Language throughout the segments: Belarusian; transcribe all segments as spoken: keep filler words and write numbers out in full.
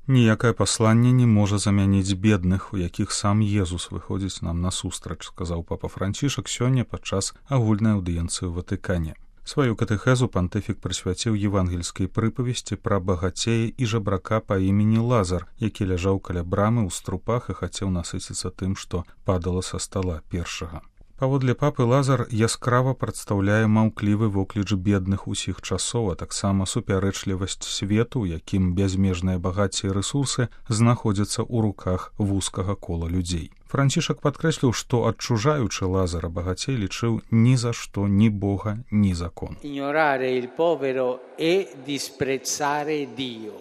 Ніякае пасланне не можа замяніць бедных, у якіх сам Езус выходзіць нам насустрач, сказаў папа Францішак сёння падчас агульнай аўдыенцыі ў Ватыкане. Сваю катэхезу пантыфік прысвяціў евангельскай прыпавесці пра багацея і жабрака па імені Лазар, які ляжаў каля брамы ў струпах і хацеў насыціцца тым, што падала са стала першага. Паводле папы Лазар яскрава прадстаўляе маўклівы вокліч бедных усіх часоў, а таксама супярэчлівасць свету, якім бязмежныя багацці і рэсурсы знаходзяцца ў руках вузкага кола людзей. Францішак падкрэсліў, што адчужаючы Лазара, багацей лічыў ні за што ні Бога, ні закон. Ignorare il povero e disprezzare Dio.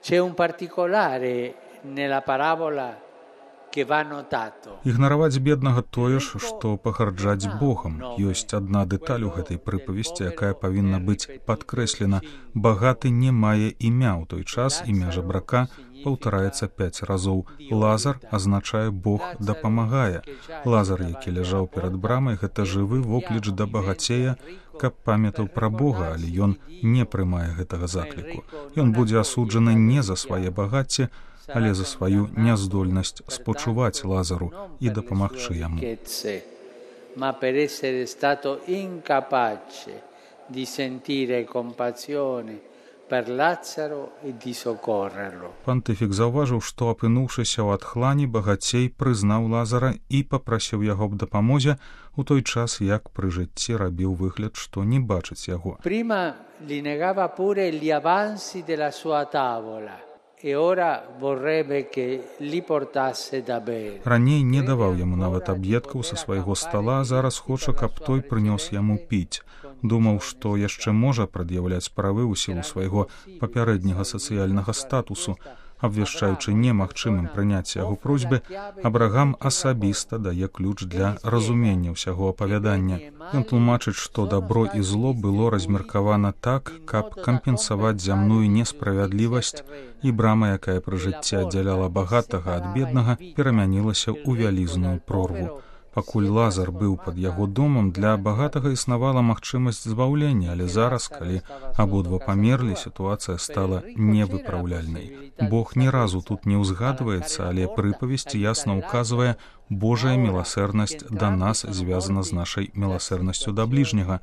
C'è un particolare nella parabola Ігнараваць беднага тое ж, што пагарджаць Богам. Ёсць адна дэталь у гэтай прыпавесці, якая павінна быць падкрэслена. Багаты не мае імя, ў той час імя жабрака паўтараецца пяць разоў. Лазар азначае Бог дапамагае. Лазар, які ляжаў перад брамай, гэта жывы вокліч да багацея, каб памятаў пра Бога, але ён не прымае гэтага закліку. Ён будзе асуджаны не за свае багацці, але за сваю няздольнасць спачуваць Лазару і дапамагчы яму. Ma per essere stato incapace di sentire compassione per Lazzaro e di soccorrerlo. Пантыфік заўважыў, што апынуўшыся ў адхлані, багацей прызнаў Лазара і папрасіў яго аб дапамозе, у той час, як пры жыцці рабіў выгляд, што не бачыць яго. Prima li negava pure gli avanzi della sua tavola. Раней не даваў яму нават аб'едкаў са свайго стала, а зараз хоча, каб той прынёс яму піць. Думаў, што яшчэ можа прад'яўляць правы ў сілу свайго папярэдняга сацыяльнага статусу. Абвяшчаючы немагчымым прыняць яго просьбы, Абрагам асабіста дае ключ для разумення ўсяго апавядання. Ён тлумачыць, што дабро і зло было размеркавана так, каб кампенсаваць зямную несправядлівасць, і брама, якая пры жыцці аддзяляла багатага ад беднага, перамянілася ў вялізную прорву. Пакуль Лазар быў пад яго домам, для багатага існавала магчымасць збаўлення, але зараз, калі абодва памерлі, сітуацыя стала невыпраўляльнай. Бог ні разу тут не ўзгадваецца, але прыпавесць ясна ўказвае, Божая міласэрнасць да нас звязана з нашай міласэрнасцю да бліжняга.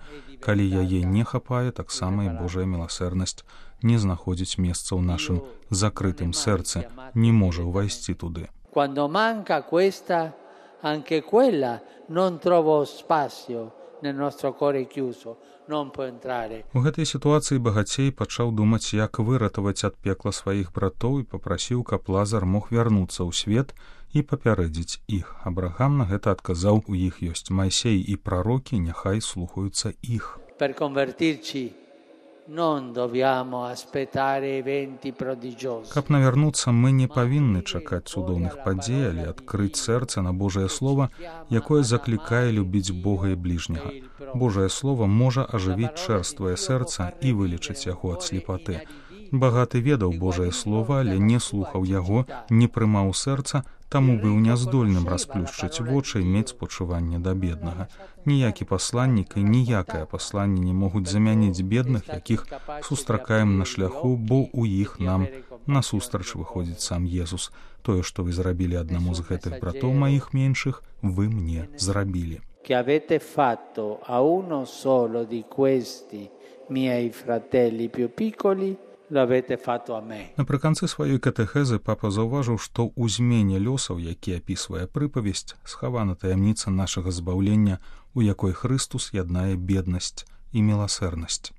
Калі яе не хапае, таксама і Божая міласэрнасць не знаходзіць месца ў нашым закрытым сэрцы, не можа ўвайсці туды. Quando manca questa anche quella non trovo spazio nel nostro cuore chiuso, non può entrare. У гэтай сітуацыі багацей пачаў думаць, як выратаваць ад пекла сваіх братоў і папрасіў, каб Лазар мог вярнуцца ў свет і папярэдзіць іх. Абрагам на гэта адказаў: у іх ёсць Майсей і прарокі, няхай слухаюцца іх. Per convertirci non dobbiamo aspettare eventi prodigiosi. Каб навярнуцца, мы не павінны чакаць цудоўных падзей, але адкрыць сэрца на Божае Слова, якое заклікае любіць Бога і бліжняга. Божае Слова можа ажывіць чэрствае сэрца і вылечыць яго ад слепаты. Багаты ведаў Божае Слова, але не слухаў яго, не прымаў сэрца, таму быў няздольным расплюшчыць вочы і мець спачуванне да беднага. Ніякі пасланнік і ніякае пасланне не могуць замяніць бедных, якіх сустракаем на шляху, бо ў іх нам насустрач выходзіць сам Езус. Тое, што вы зрабілі аднаму з гэтых братоў маіх меншых, вы мне зрабілі. Que avete fatto a uno solo di questi miei fratelli più piccoli, Напрыканцы сваёй катэхезы папа заўважыў, што ў змене лёсаў, які апісвае прыпавесць, схавана таямніца нашага збаўлення, у якой Хрыстус яднае беднасць і міласэрнасць.